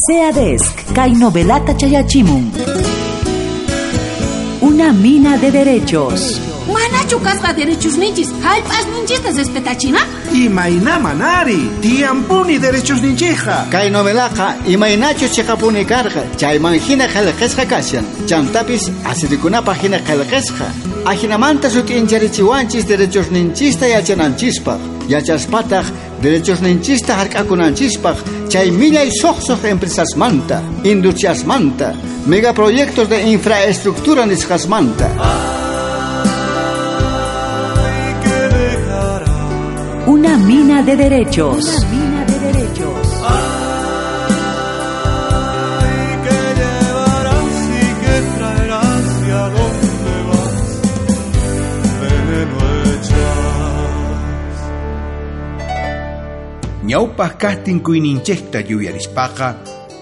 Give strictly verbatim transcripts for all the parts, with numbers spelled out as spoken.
SEADESC kay novelata chayachimun. Una mina de derechos. Manachu kasqa derechos ninchis, hallp'as ninchista respetachina? Imayna manari, tiyampuni derechos ninchija. Kay novelaqa imaynachus chiqapuni karqa, chayman hina qillqasqa kashan. Chantapis asirikunapaq hina qillqasqa. Ajinamanta sut'incharichiwanchis derechos ninchista yachananchispaq. Yachaspataq derechos ninchista hark'akunanchispaq, chay millay suqsuq empresasmanta, industriasmanta, megaproyectos de infraestructura nisqasmanta. Una mina de derechos. Una mina de derechos. Ay, que llevarás y que traerás y a dónde vas, veneno echas. Ñawpaq kaqtin kuyninchikta yuyarispaqa,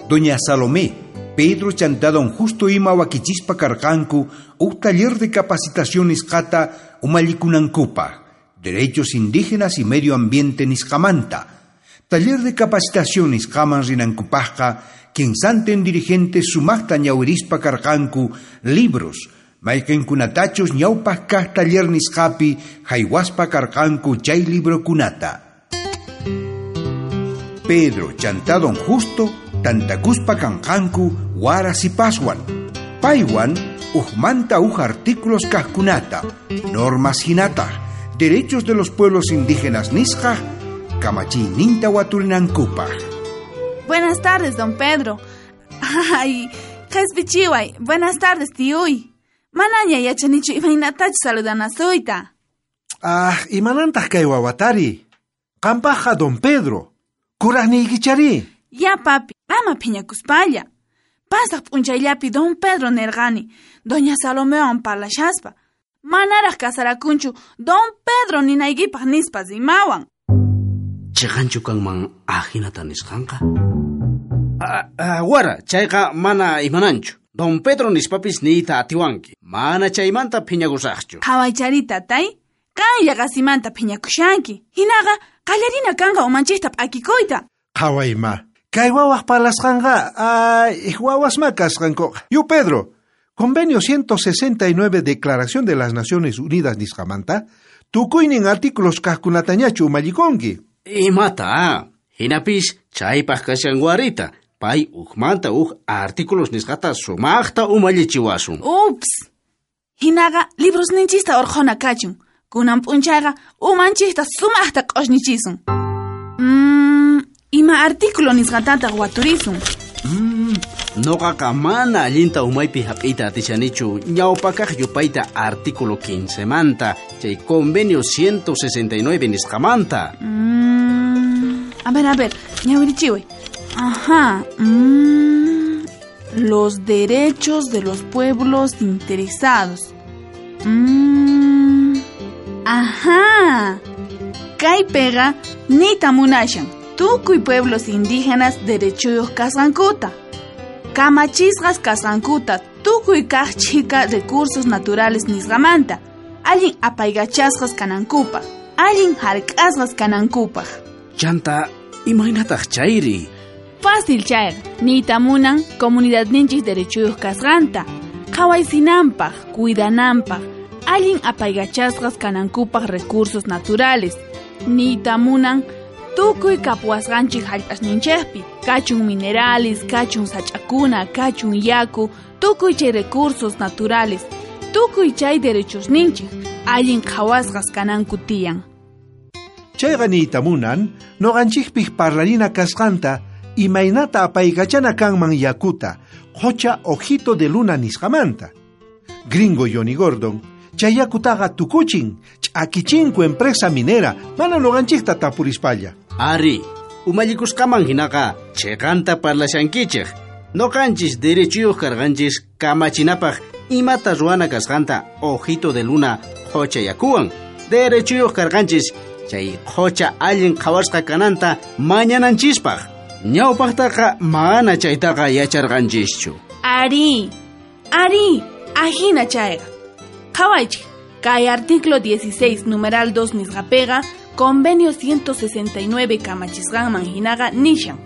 Doña Salomé, Pedro chantá don Justo ima wakichispa karqanku huk taller de capacitación nisqata umallikunankupaq, Derechos Indígenas y Medio Ambiente nisqamanta. Taller de capacitación nisqaman rinankupaqqa, kinsantin dirigentes sumaqta ñawirispa karqanku libros, mayqinkunatachus ñawpaq kaq taller nisqapi haywaspa karqanku chay librokunata. Pedro chantá don Justo tantakuspa kanqanku wara sipaswan. Paywan ujmanta uj artículos kaqkunata, normas hinataq, derechos de los pueblos indígenas nisqa, kamachiyninta waturinankupaq. Buenas tardes, don Pedro. Ay, qhispichiway. Buenas tardes, tiyuy. Manaña yachanichu imaynatachu saludanasuyta. Ah, imanantaq kay wawatari. Qampaqqa don Pedro. Kuraqniykichari. Ya, papi, ama phiñakuspalla. Pasaq p'unchayllapi don Pedro nerqani, doña Salomewan parlashaspa. Manaraq kasarakunchu don Pedro ninaykipaq nispa rimawan. Chiqanchu kanman ajinata nisqanqa? Ah, ah, wara, chayqa mana imananchu. Don Pedro nispapis niyta atiwanki. Mana chaymanta phiñakusaqchu. Qhawaychari tatay, qanlla qasimanta phiñakushanki. Hinaqa qallarina kanqa umanchikta p'akikuyta. Qhawayma, kay wawaq parlasqanqa, ay, wawasma kasqankuqa. Yu Pedro, Convenio ciento sesenta y nueve Declaración de las Naciones Unidas nisqamanta, tukuynin artículos kaqkunatañachu umallikunki. Imata, hinapis chaypaq kashan warita, pay ujmanta uj artículos nisqata sumaqta umallichiwasun. Ups, hinaqa libros ninchista urqhuna kachun, kunan p'unchayqa umanchikta sumaqta q'ushñichisun. Mm, ima artículo nisqatataq waturisun. Mm, noqaqa mana allinta umaypi hap'iyta atishanichu ñawpakaq yupayta artículo quince manta, chay convenio ciento sesenta y nueve nisqamanta. Mm, a ver, a ver, ñawirichiway. Ajá. Mm, los derechos de los pueblos interesados. Mm, ajá. Kaypiqa nita munashan. Tukuy pueblos indígenas derechuyuq kasqankuta. Kamachisqas kasqankuta tukuy kaq chhika recursos naturales nisqamanta. Allin apaykachasqas kanankupaq, allin hark'asqas kanankupaq. Chanta, imaynataq chayri? Fácil chayqa, niyta munan comunidadninchik derechuyuq kasqanta, qhawaysinanpaq, cuidananpaq, allin apaykachasqas kanankupaq recursos naturales. Niyta munan tukuy kapuwasqanchik hallp'asninchikpi, kachun minerales, kachun sach'akuna, kachun yaku, tukuy chay recursos naturales, tukuy chay derechosninchik, allin qhawasqas kananku tiyan. Chayqa niyta munan, noqanchikpik parlarina kasqanta, imaynata apaykachana kanman yakuta, qocha ojito de luna nisqamanta. Gringo Johnny Gordon, chay yakutaqa tukuchin, ch'akichinku empresa minera, mana noqanchikta tapurispalla. Ari, umallikusqaman hinaqa chiqanta parlashankichik. Noqanchis derechuyuq karqanchis kamachinapaq imata ruwana kasqanta ojito de luna qocha yakuwan. Derechuyuq karqanchis chay qocha allin qhawasqa kananta mañananchispaq. Ñawpaqtaqa mana chaytaqa yacharqanchischu. Ari, ari, ajina chayqa. Qhawaychik, kay artículo dieciséis, numeral dos nisqapiqa, convenio ciento sesenta y nueve kamachisqanman hinaqa nishan.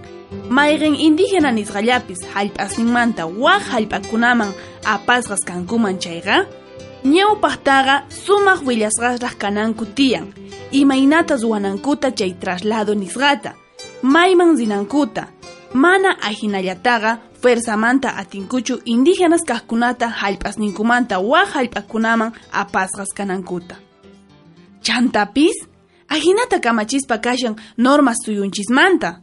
Mayqin indígena nisqallapis hallp'asninmanta waj hallp'akunaman apasqas kankuman chayqa, ñawpaqtaqa sumaq willasqasraq kananku tiyan, imaynata ruwanankuta chay traslado nisqata, mayman rinankuta, mana ajinallataqa fuerzamanta atinkuchu indígenas kaqkunata hallp'asninkumanta waj hallp'akunaman apasqas kanankuta. Chantapis, ajinata kamachispa kashan normas suyunchismanta.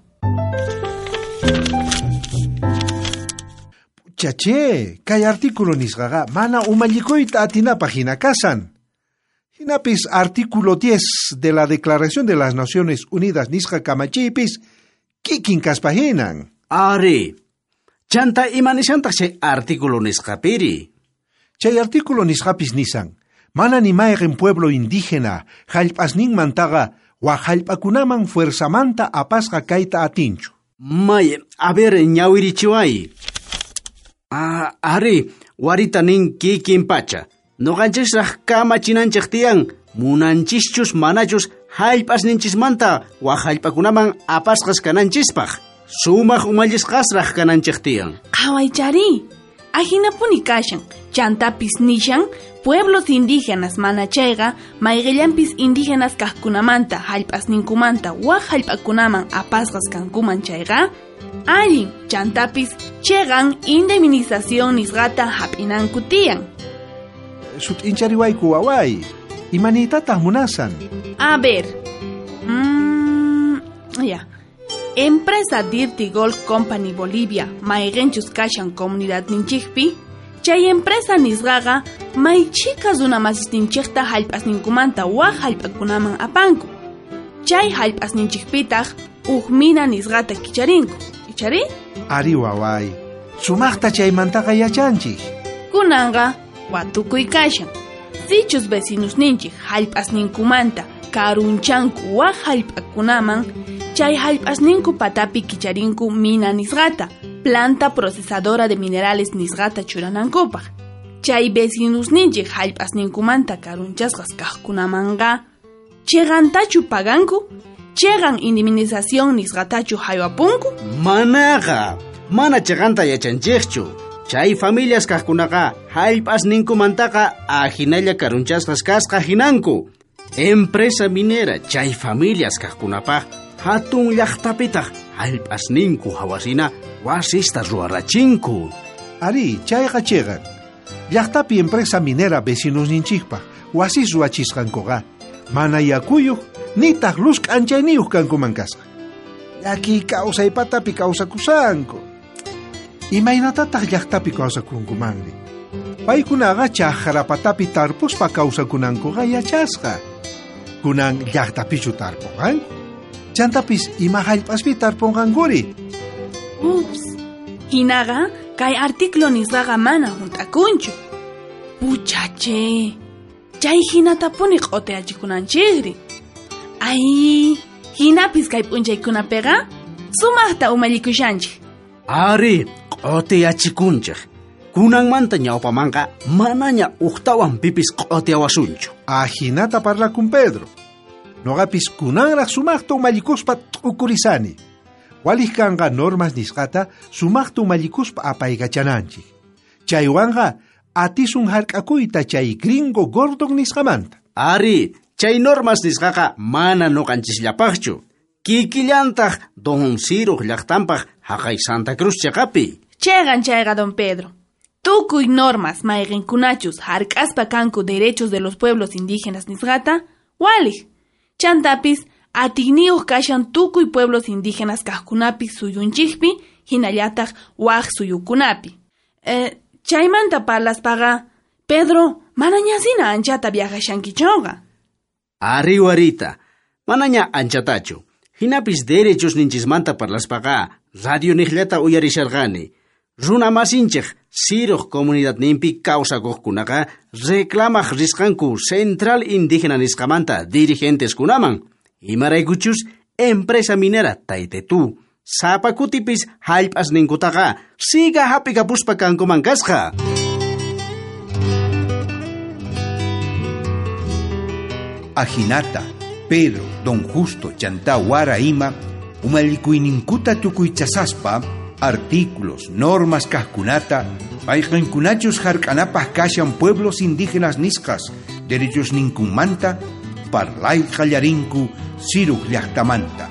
Chache, kay artículo nisqaqa mana umallikuyta atinapaq hina kasan. Hinapis artículo diez de la Declaración de las Naciones Unidas nisqa kamachiypis kikin kaspa hinan. Ari, chanta imanishantaq chay artículo nisqapiri. Chay artículo nisqapis nisan, mana ni mayqin pueblo indígena hallp'asninmantaqa waj hallp'akunaman fuerzamanta apasqa kayta atinchu. May, a ver, ñawirichiway. Ah, ari, warita nin kikin pacha. Noqanchisraq kamachinanchik tiyan, munanchischus manachus hallp'asninchismanta waj hallp'akunaman apasqas kananchispaq. Sumaq umallisqasraq kananchik tiyan. Qhawaychari, ajinapuni kashan, chantapis nishan, pueblos indígenas mana chayqa, mayqillanpis indígenas kaqkunamanta hallp'asninkumanta waj hallp'akunaman apasqas kankuman chayqa, allin, chantapis chegan indemnización nisqata hap'inanku tiyan. Sut'inchariwayku waway, imanitataq munasan? A ver, mmm, ya. Empresa Dirty Gold Company Bolivia, mayqinchus kashan comunidadninchikpi, chay empresa nisqaqa maychika runamasisninchikta hallp'asninkumanta waj hallp'akunaman apanku. Chay hallp'asninchikpitaq uj mina nisqata kicharinku. Ichari? Ari waway, sumaqta chaymantaqa yachanchik. Kunanqa watukuy kashan. Sichus vecinusninchik hallp'asninkumanta karunchanku waj hallp'akunaman, chay hallp'asninku patapi kicharinku mina nisqata, planta procesadora de minerales nisqata churanankupaq. Chay vecinusninchik hallp'asninkumanta karunchasqas kaqkunamanqa, chiqantachu paganku? Chiqan indemnización nisqatachu haywapunku? Manaqa, mana chiqanta yachanchikchu. Chay familias kaqkunaqa hallp'asninkumantaqa ajinalla karunchasqas kasqa hinanku. Empresa minera chay familias kaqkunapaq hatun llaqtapitaq hallp'asninku hawasina wasista ruwarachinku. Ari, chayqa chiqan. Llaqtapi empresa minera vecinosninchikpaq wasis ruwachisqankuqa mana yakuyuq nitaq luz k'anchayniyuq kankuman kasqa. Llaki kawsaypatapi kawsakusanku. Imaynatataq llaqtapi kawsakunkumanri? Paykunaqa chaqrapatapi tarpuspa kawsakunankuqa yachasqa. Kunan llaqtapichu tarpunqanku? Chantapis ima hallp'aspi tarpunqankuri? Ups, hinaqa kay artículo nisqaqa mana hunt'akunchu. Puchache, chay hinatapuni q'utiyachikunanchikri. Ay, hinapis kay p'unchaykunapiqa sumaqta umallikushanchik. Ari, q'utiyachikunchik. Kunanmanta ñawpamanqa manaña uqtawan pipis q'utiyawasunchu. Ajinata parlakun Pedro. Noqapis kunanraq sumaqta umallikuspa t'ukurisani. Walij kanqa normas nisqata sumaqta umallikuspa apaykachananchik. Chaywanqa atisun hark'akuyta chay gringo Gordon nisqamanta. Ari, chay normas nisqaqa mana nuqanchisllapaqchu. Kikillantaq Don Ciro llaqtanpaq haqay Santa Cruz chaqapi. Chegan chayqa Don Pedro. Tukuy normas mayqinkunachus hark'aspa kanku derechos de los pueblos indígenas nisqata, walij. Chantapis atiyniyuq kashan tukuy pueblos indígenas kaqkunapi suyunchikpi hinallataq waj suyukunapi. Eh, chaymanta parlaspaqa, Pedro, manañasina anchata viajashankichonqa. Ari warita, manaña anchatachu. Hinapis derechos ninchismanta parlaspaqa, radio niqllata uyarisharqani. Runa masinchik Siruq comunidadninpi kawsakuqkunaqa reclamaq risqanku Central Indígena nisqamanta dirigenteskunaman. Imaraykuchus empresa minera Taytetú sapa kutipis hallp'asninkutaqa siga hap'ikapuspa kankuman kasqa. Ajinata, Pedro, Don Justo, chantá wara ima, umallikuyninkuta tukuychasaspa artículos, normas kajkunata, mayqinkunachus hark'anapaj kashan pueblos indígenas nisqas derechos ninkunmanta, parlay qallarinku Siruj llaqtamanta.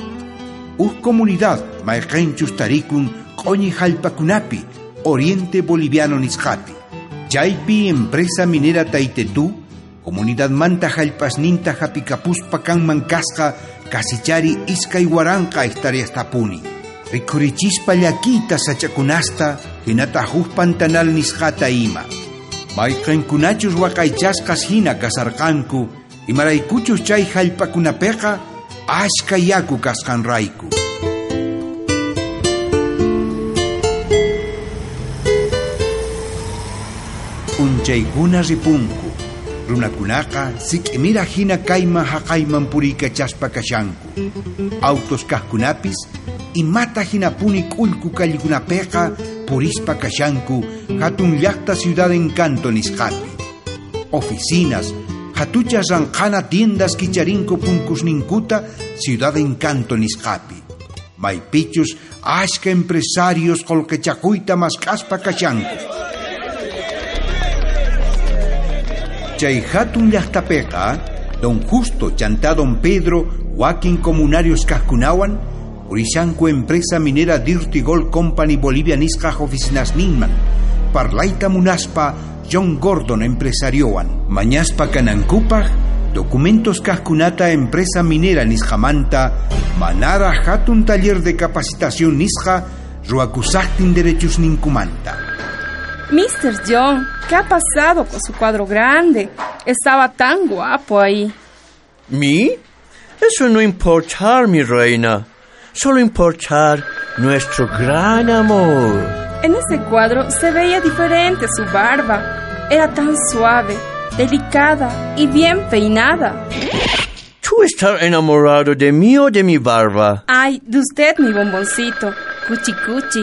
Uj comunidad mayqinchus tarikun q'uñi jallp'akunapi, Oriente Boliviano nisqapi. Chaypi empresa minera Taytetú, comunidad manta jallp'asninta hap'ikapuspa kanman kasqa kasichari iskay waranqa hectáreastapuni. Rikhurichispa llakiyta sachakunasta hinata huk pantanal nisqata ima. Mayqinkunachus waqaychasqas hina kasarqanku, imaraykuchus chay jallp'akunapiqa ashka yaku kasqanrayku. P'unchaykuna ripunku, runakunaqa sik'imira hina kayman haqayman puriykachaspa kashanku. Autos kajkunapis imata hinapuni k'ullku kallikunapiqa purispa kashanku hatun llaqta Ciudad Encanto nisqapi. Oficinas, hatuchas ranqhana tiendas kicharinku punkusninkuta Ciudad Encanto nisqapi. Maypichus ashka empresarios qullqichakuyta mask'aspa kashanku. Chay hatun llaqtapiqa, don Justo chantá don Pedro wakin comunarios kajkunawan purishanku empresa minera Dirty Gold Company Bolivia nisqaj oficinasninman, parlayta munaspa John Gordon empresariowan, mañaspa kanankupaj documentos kajkunata empresa minera nisqamanta, manara hatun taller de capacitación nisqa ruwakusaqtin derechos ninkumanta. mister John, ¿qué ha pasado con su cuadro grande? Estaba tan guapo ahí. ¿Mi? Eso no importa, mi reina. Solo importar nuestro gran amor. En ese cuadro se veía diferente su barba. Era tan suave, delicada y bien peinada. ¿Tú estás enamorado de mí o de mi barba? Ay, de usted, mi bomboncito. Cuchi cuchi.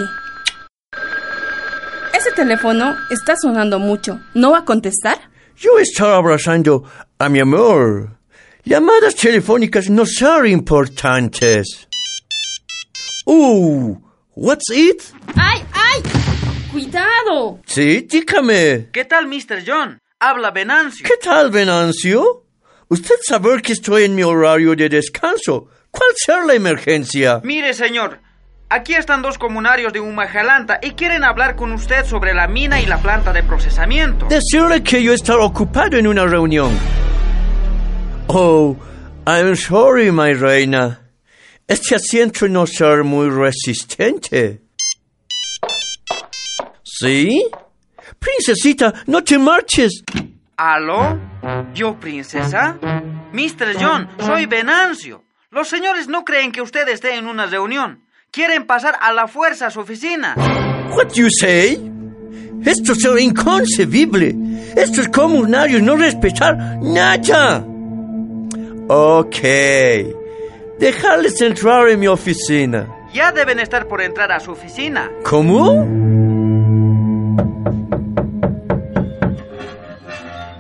Ese teléfono está sonando mucho. ¿No va a contestar? Yo estoy abrazando a mi amor. Llamadas telefónicas no son importantes. Uh, what's it? ¡Ay, ay! ¡Cuidado! Sí, dígame. ¿Qué tal, mister John? Habla Venancio. ¿Qué tal, Venancio? Usted sabe que estoy en mi horario de descanso. ¿Cuál será la emergencia? Mire, señor, aquí están dos comunarios de Umajalanta y quieren hablar con usted sobre la mina y la planta de procesamiento. Decirle que yo estoy ocupado en una reunión. Oh, I'm sorry, my reina. Este asiento no será muy resistente. ¿Sí? Princesita, no te marches. ¿Aló? ¿Yo, princesa? mister John, soy Venancio. Los señores no creen que usted esté en una reunión. Quieren pasar a la fuerza a su oficina. What you say? Esto es inconcebible. Estos comunarios no respetar nada. Ok. Dejarles entrar en mi oficina. Ya deben estar por entrar a su oficina. ¿Cómo?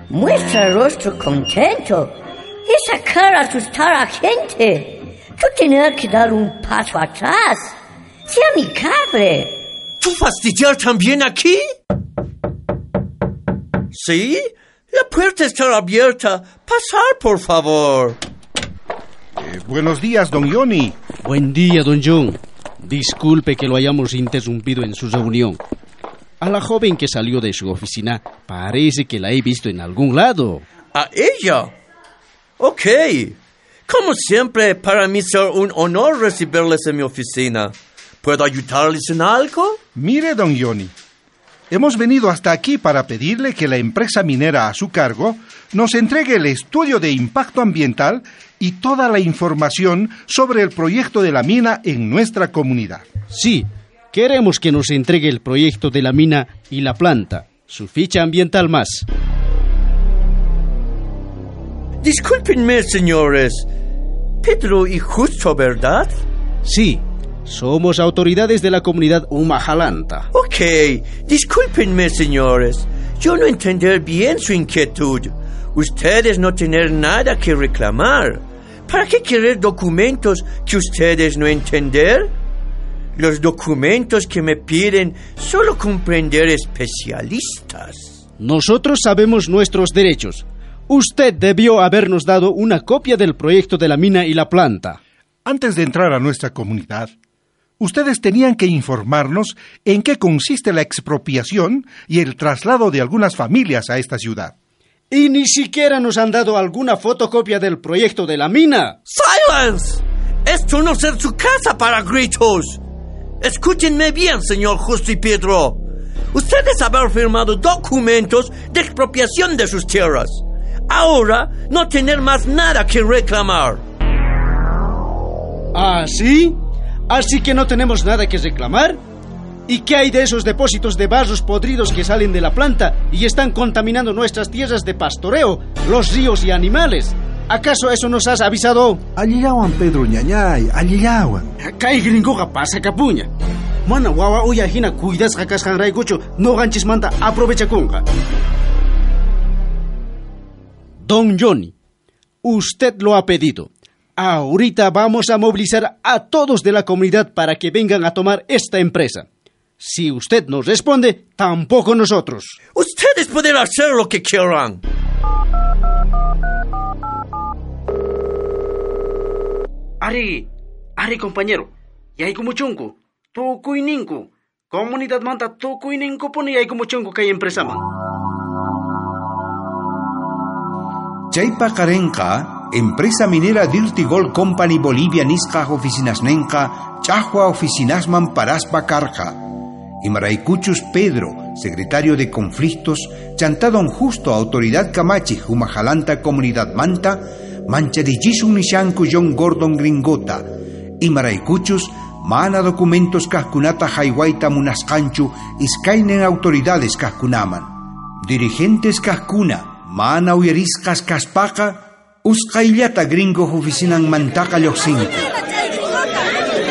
Muestra rostro contento. Esa cara asustar a gente. Tú tener que dar un paso atrás. Sea amigable. ¿Tú fastidiar también aquí? ¿Sí? La puerta está abierta. Pasar, por favor. Eh, buenos días, don Johnny. Buen día, don John. Disculpe que lo hayamos interrumpido en su reunión. A la joven que salió de su oficina parece que la he visto en algún lado. ¿A ella? Ok. Como siempre, para mí es un honor recibirles en mi oficina. ¿Puedo ayudarles en algo? Mire, don Johnny, hemos venido hasta aquí para pedirle que la empresa minera a su cargo nos entregue el estudio de impacto ambiental y toda la información sobre el proyecto de la mina en nuestra comunidad. Sí, queremos que nos entregue el proyecto de la mina y la planta, su ficha ambiental más. Discúlpenme, señores. Pedro y Justo, ¿verdad? Sí, somos autoridades de la comunidad Umajalanta. Ok, discúlpenme, señores. Yo no entender bien su inquietud. Ustedes no tener nada que reclamar. ¿Para qué querer documentos que ustedes no entender? Los documentos que me piden solo comprender especialistas. Nosotros sabemos nuestros derechos. Usted debió habernos dado una copia del proyecto de la mina y la planta. Antes de entrar a nuestra comunidad, ustedes tenían que informarnos en qué consiste la expropiación y el traslado de algunas familias a esta ciudad. Y ni siquiera nos han dado alguna fotocopia del proyecto de la mina. ¡Silence! Esto no es su casa para gritos. Escúchenme bien, señor Justo y Pedro. Ustedes haber firmado documentos de expropiación de sus tierras. Ahora no tener más nada que reclamar. ¿Ah, sí? ¿Así que no tenemos nada que reclamar? ¿Y qué hay de esos depósitos de barros podridos que salen de la planta y están contaminando nuestras tierras de pastoreo, los ríos y animales? ¿Acaso eso nos has avisado? Allillawan, Pedro ñañay, allillawan. Kay gringoqa pasakapuña. Mana wawa uya hina cuidasqa kasqanraykuchu noqanchismanta aprovechakunqa. Don Johnny, usted lo ha pedido. Ahorita vamos a movilizar a todos de la comunidad para que vengan a tomar esta empresa. Si usted no responde, tampoco nosotros. Ustedes pueden hacer lo que quieran. Ari, ari compañero, yaykumuchunku, tukuyninku, comunidad manta tukuyninkupuni yaykumuchunku kay empresaman. Chay paqarenqa, empresa minera Dirty Gold Company Bolivia nisqa oficinasnenqa, chahua oficinasman paraspa karqa. Imaraykuchus Pedro, secretario de Conflictos, chantá don Justo autoridad kamachi humajalanta comunidad manta, mancharichisun nishanku John Gordon gringota. Imaraykuchus mana documentos kajkunata haywaita munasqanchu iskaynin autoridades kajkunaman. Dirigentes kajkuna mana uyarisqas kaspaqa usqayllata gringo oficinan mantaqa lluqsinku.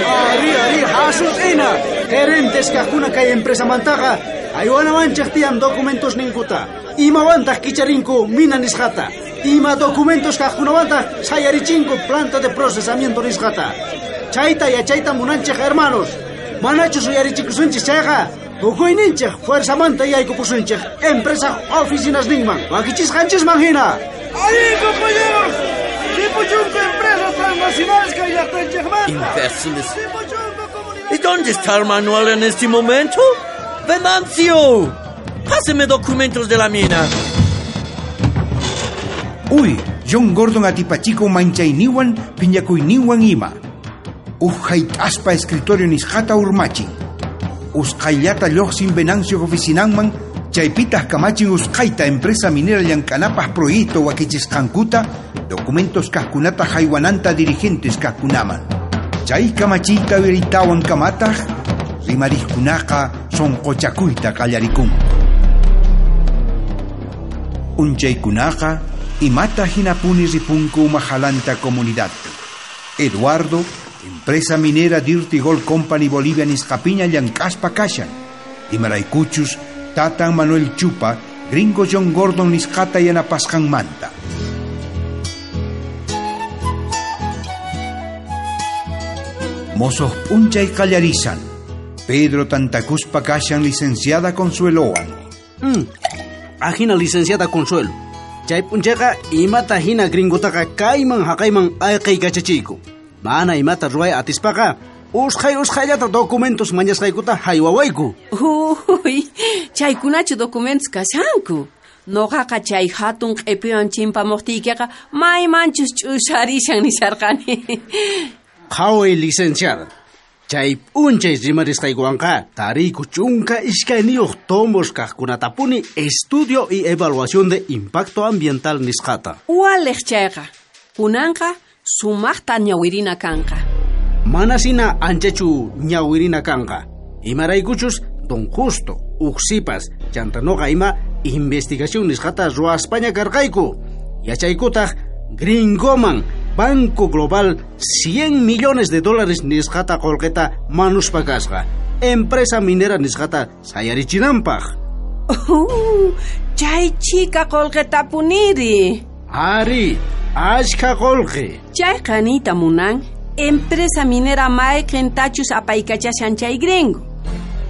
Ari, ari, hasut'ina! Gerentes kajkuna kay empresa mantaqa aywanawanchej tiyan documentos ninkuta. Imawantaq kicharinku mina nisqata. Ima documentos kajkunawantaq sayarichinku planta de procesamiento nisqata. Chayta yachayta munanchej hermanos. Manachus uyarichikusunchis chayqa tukuyninchej fuerzamanta yaykupusunchej empresa oficinas ninman wakichisqanchisman hina. ¡Ahí, compañeros! ¡Ripuchunku empresas transnacionales kay llaqtanchejmanta! Imbéciles. ¿Y dónde está Manuel en este momento? ¡Venancio! ¡Páseme documentos de la mina! Uy, John Gordon atipachiko manchayniwan piñakuyninwan ima. Uj hayt'aspa escritorio nisqata urmachin. Usqhayllata lluqsin Venancio oficinanman, chaypitaq kamachin usqhayta empresa minera llank'anapaq proyecto wakichisqankuta, documentos kajkunata haywananta dirigentes kajkunaman. Chay kamachiyta uyaritawan kamataq, rimarijkunaqa sunquchakuyta qallarikunku. Unchaykunaqa imata hinapuni ripunku umajalanta comunidadpi. Eduardo, empresa minera Dirty Gold Company Bolivia nisqapiña llank'aspa kashan. Imaraykuchus tatan Manuel Chupa, gringo John Gordon nisqata yanapasqanmanta. Mozos p'unchay qallarisan. Pedro tantakuspa kashan licenciada Consuelowan. Mm. Ajina licenciada Consuelo. Chay p'unchayqa imata hina gringotaqa kayman haqayman ayqiykachachiyku. Mana imata ruway atispaqa usqhay usqhayllata documentos mañasqaykuta haywawayku. Uy, chaykunachu documentos kashanku. Noqaqa chay hatun q'ipiwan chimpamuqtiykiqa maymanchus ch'usarishan nisharqani. Qhaway licenciada. Chay p'unchay rimarisqaykuwanqa tariyku chunka iskayniyuq tomos kaqkunatapuni estudio y evaluación de impacto ambiental nisqata. Waliq chayqa. Kunanqa sumaqta ñawirina kanqa. Manasina anchachu ñawirina kanqa. Imaraykuchus don Justo, uqsipas, chanta noqa ima investigación nisqata ruwaspaña karqayku. Yachaykutaq gringoman Banco Global cien millones de dólares nisqata qullqita manuspa kasqa. Empresa minera nisqata sayarichinanpaq. Uh, chay chika qullqitapuniri. Ari, Ashka qolqe. Chayqa niyta munan, empresa minera mayqintachus apaykachashan chay gringo.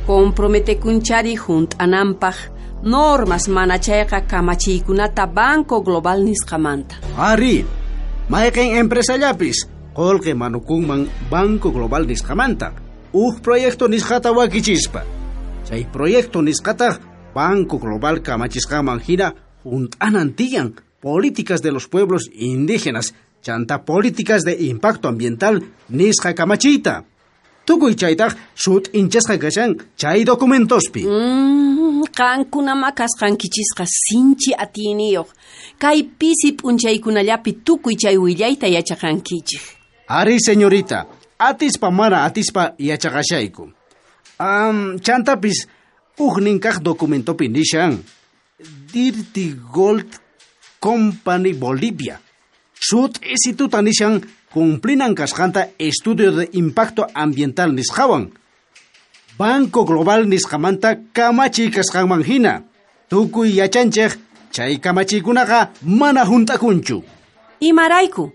Comprometekunchari junt'ananpaq normas mana chayqa kamachiykunata Banco Global nisqamanta. Ari, mayqin empresallapis qolqe manukunman Banco Global nisqamanta. Uj proyecto nisqata wakichispa. Chay proyecto nisqataq Banco Global kamachisqaman hina junt'anan tiyan políticas de los pueblos indígenas, chanta políticas de impacto ambiental nisqa kamachiyta. Tukuy chaytaq sut'inchasqa kashan chay documentospi. Mm, qankunama kasqankichisqa sinchi atiyniyuq. Kay pisi p'unchaykunallapi tukuy chay willayta yachaqankichik. Ari, señorita, atispa mana atispa yachaqashayku. Um, chantapis ujnin kaq documentopi nishan Dirty Gold Company Bolivia. Sut'isituta nishan cumplinan kasqanta estudio de impacto ambiental nisqawan. Banco Global nisqamanta kamachiy kasqanman hina. Tukuy yachanchej chay kamachiykunaqa mana junt'akunchu. Imarayku,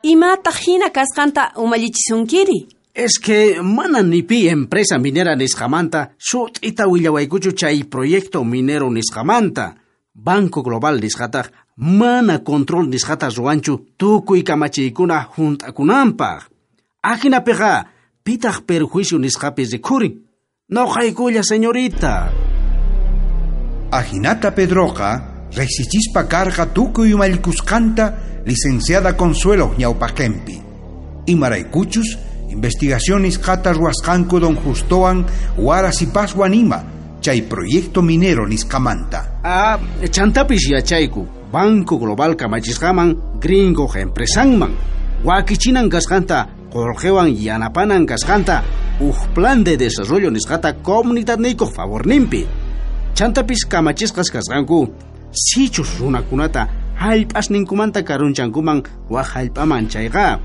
imataq hina kasqanta umallichisunkiri? Es que mana ni pi empresa minera nisqamanta sut'ita willawaykuchu chay proyecto minero nisqamanta. Banco Global nisqataq mana control nisqata ruwanchu tukuy kamachiykuna junt'akunanpaq. Ajinapiqa pitaq perjuicio nisqapi rikhurin. Noqaykulla, señorita. Ajinata Pedroqa riqsichispa karqa tukuy umallikusqanta licenciada Consuelo ñawpaqenpi. Imaraykuchus investigación nisqata ruwasqanku don Justowan Wara sipaswan ima chay proyecto minero nisqamanta. Ah, chantapis yachayku Banco Global kamachisqaman gringo empresanman wakichinan kasqanta qolqewan yanapanan kasqanta uj plan de desarrollo nisqata comunidadniykuq favorninpi. Chantapis kamachisqas kasqanku sichus runakunata hallp'asninkumanta karunchankuman waj hallp'aman chayqa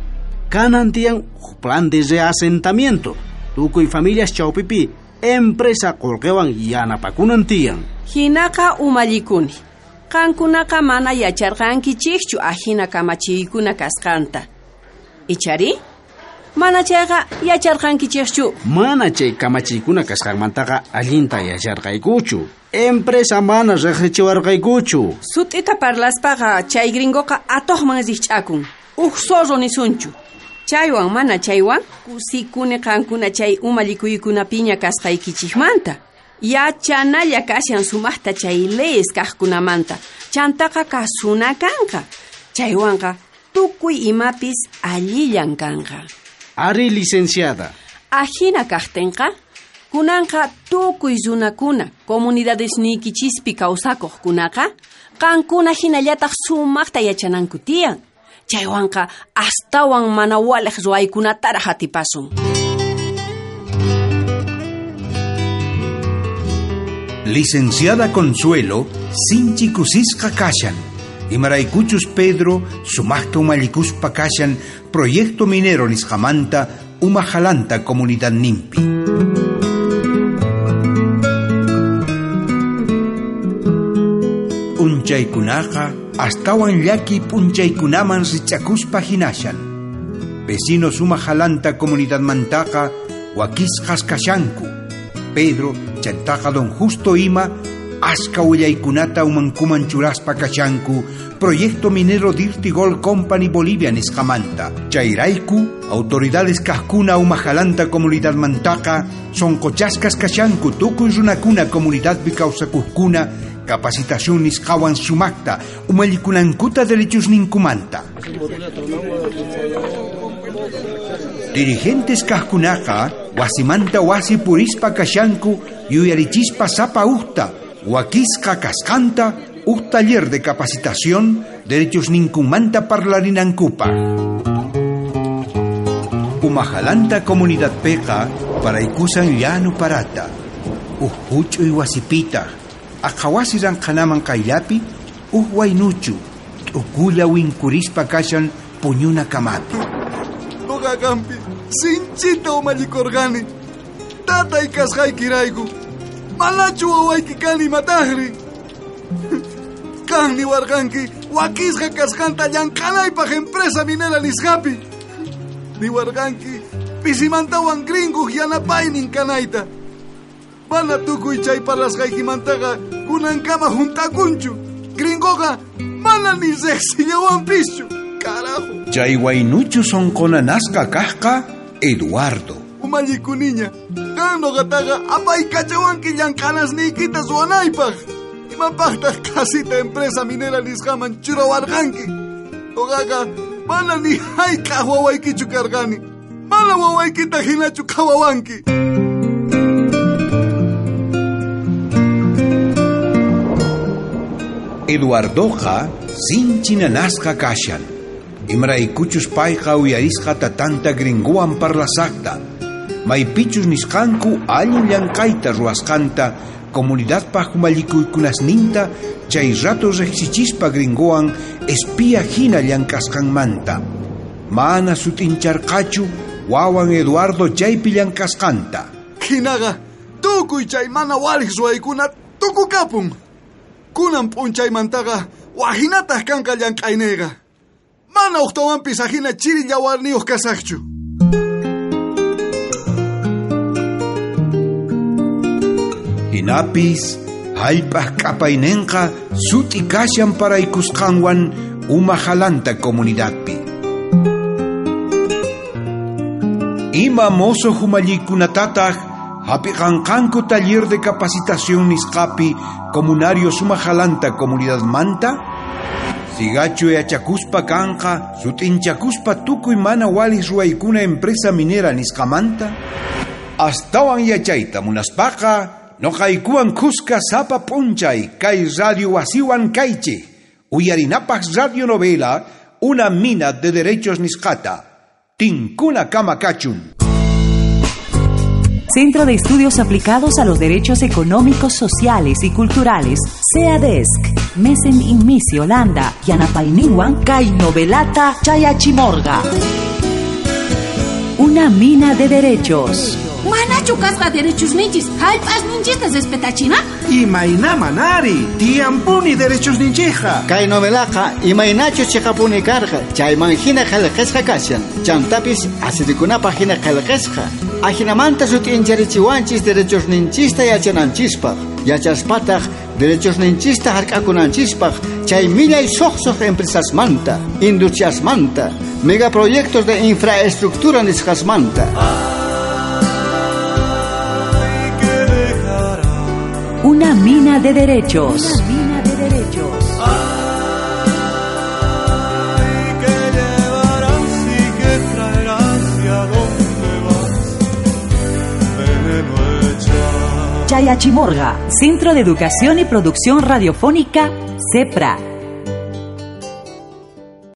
kanan tiyan uj plan de reasentamiento tukuy familias chawpipi empresa qolqewan yanapakunan tiyan. Hinaqa umallikuni. Qankunaqa mana yacharqankichikchu ajina kamachiykuna kasqanta. Ichari? Mana chayqa yacharqankichikchu. Mana chay kamachiykuna kasqanmantaqa allinta yacharqaykuchu. Empresa mana riqsichiwarqaykuchu. Sut'ita parlaspaqa chay gringoqa atuqman rikch'akun. Uj zorro nisunchu. Chaywan mana chaywan kusikuni qankuna chay umallikuykunapiña kasqaykichikmanta. Yachanalla kashan sumaqta chay leyes kaqkunamanta. Chantaqa kasuna kanqa. Chaywanqa tukuy imapis allillan kanqa. Ari, licenciada. Ajina kaqtinqa, kunanqa tukuy runakuna comunidades niykichispi kawsakuqkunaqa qankuna hinallataq sumaqta yachananku tiyan. Chaywanqa astawan mana waliq ruwaykunataraq atipasun. Licenciada Consuelo sinchi kusisqa kashan. Imaraykuchus Pedro sumaqta umallikuspa kashan proyecto minero nisqamanta umajalanta comunidad nimpi. Unchaykunaqa astawan llaki p'unchaykunaman rich'akuspa hinashan. Vecinos umajalanta comunidadmantaqa wakisqas kashanku. Pedro chantaqa don Justo ima aska willaykunata umankuman churaspa kashanku proyecto minero Dirty Gold Company Bolivia nisqamanta. Chayrayku autoridades kaqkuna umajalanta comunidadmantaqa sonqochasqas kashanku tukuy runakuna comunidadpi kawsakuqkuna capacitación nisqawan sumaqta umallikunankuta derechosninkumanta. Dirigentes kaqkunaqa wasimanta wasi purispa kashanku yuyarichispa sapa uqta wakisqa kasqanta uj taller de capacitación derechos ninkunmanta parlarinankupaq. Umajalanta comunidad peqa paraykusan llanu parata uj huch'uy wasipitaq aqhawasi ranqhanaman qayllapi uj waynuchu t'ukulla winkurispa kashan puñuna kamapi. Noqa qampi sinchita umallikurqani tatay kasqaykirayku. Manachu wawayki kani imataqri. Qan niwarqanki Wakisqa kasqanta llank'anaypaq empresa minera nisqapi. Niwarqanki pisimantawan gringuq yanapaynin kanayta. Mana tukuy chay parlasqaykimantaqa kunankama juntakunchu. Gringoqa mana ni riqsillawanpischu. Carajo. Chay waynuchu sonqonanasqa kajqa Eduardo. Umallikuniña, qan noqataqa apaykachawanki llank'anasniykita ruwanaypaq. Imapaqtaq qasita empresa minera nisqaman churawarqanki. Noqaqa mana ni hayk'aq wawaykichu karqani. Mana wawaykita hinachu qhawawanki. Eduardoqa sinchi nanasqa kashan. Imraykuchus payqa uyarisqa tatanta gringowan parlasaqta. Maypichus nisqanku allin llank'ayta ruwasqanta comunidadpaq umallikuykunasninta chay rato riqsichispa gringowan espía hina llank'asqanmanta. Mana sut'incharqachu wawan Eduardo chaypi llank'asqanta. Hinaqa tukuy chay mana waliq ruwaykuna tukukapun. Kunan p'unchaymantaqa wajinataq kanqa llank'ayniyqa. Mana uqtawanpis ajina chiri llawarniyuq kasaqchu. Hinapis hallp'aq k'apayninqa sut'i kashan paraykusqanwan uma jalanta comunidadpi. Ima mozo humallikunatataj hapiqanqanku taller de capacitación nisqapi comunario suma jalanta comunidadmanta? Sigachu yachakuspa kanqa sut'inchakuspa tukuy mana walis ruwaykuna empresa minera nisqamanta? Astawan yachayta munaspaqa noqaykuwan kuska sapa p'unchay kay radio wasiwan kaychej uyarinapaq radionovela Una mina de derechos nisqata. Tinkuna kama kachun. Centro de Estudios Aplicados a los Derechos Económicos, Sociales y Culturales, CEADESC, Mesen Inmisi, Holanda, Yanapayninwan, kay novelata Chayachimorga. Una mina de derechos. Manachu kasqa derechos ninchis, hallp'as ninchista respetachina? Imayna manari, tiyampuni derechos ninchija. Kay novelaqa imaynachus chiqapuni karqa, chayman hina qillqasqa kashan, chantapis asirikunapaq hina qillqasqa. Ajinamanta sut'incharichiwanchis derechos ninchista yachananchispaq, yachaspataq derechos ninchista hark'akunanchispaq, chay millay suqsuq empresasmanta, industriasmanta, megaproyectos de infraestructura nisqasmanta. Una mina de derechos. Una mina de derechos. Ay, que llevarás y que traerás y a dónde vas, veneno hecha. Chayachimorga, Centro de Educación y Producción Radiofónica, CEPRA.